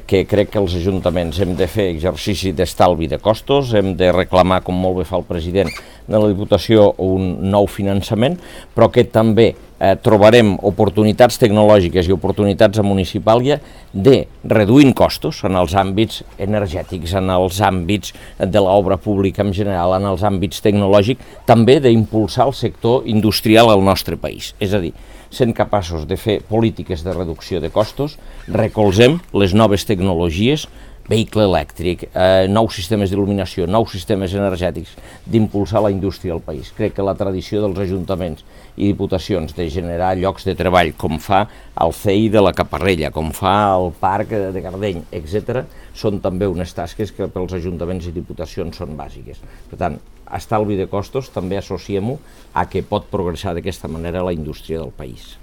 que crec que els ajuntaments hem de fer exercici d'estalvi de costos, hem de reclamar, com molt bé fa el president de la Diputació, un nou finançament, però que també trobarem oportunitats tecnològiques i oportunitats a Municipàlia de reduint costos en els àmbits energètics, en els àmbits de l'obra pública en general, en els àmbits tecnològics, també d'impulsar el sector industrial al nostre país. És a dir, sent capaços de fer polítiques de reducció de costos, recolzem les noves tecnologies, vehicle elèctric, nous sistemes d'il·luminació, nous sistemes energètics, d'impulsar la indústria al país. Crec que la tradició dels ajuntaments i diputacions de generar llocs de treball, com fa el CEI de la Caparrella, com fa el Parc de Gardeny, etc., són també unes tasques que pels ajuntaments i diputacions són bàsiques. Per tant, estalvi de costos també associem-ho a que pot progressar d'aquesta manera la indústria del país.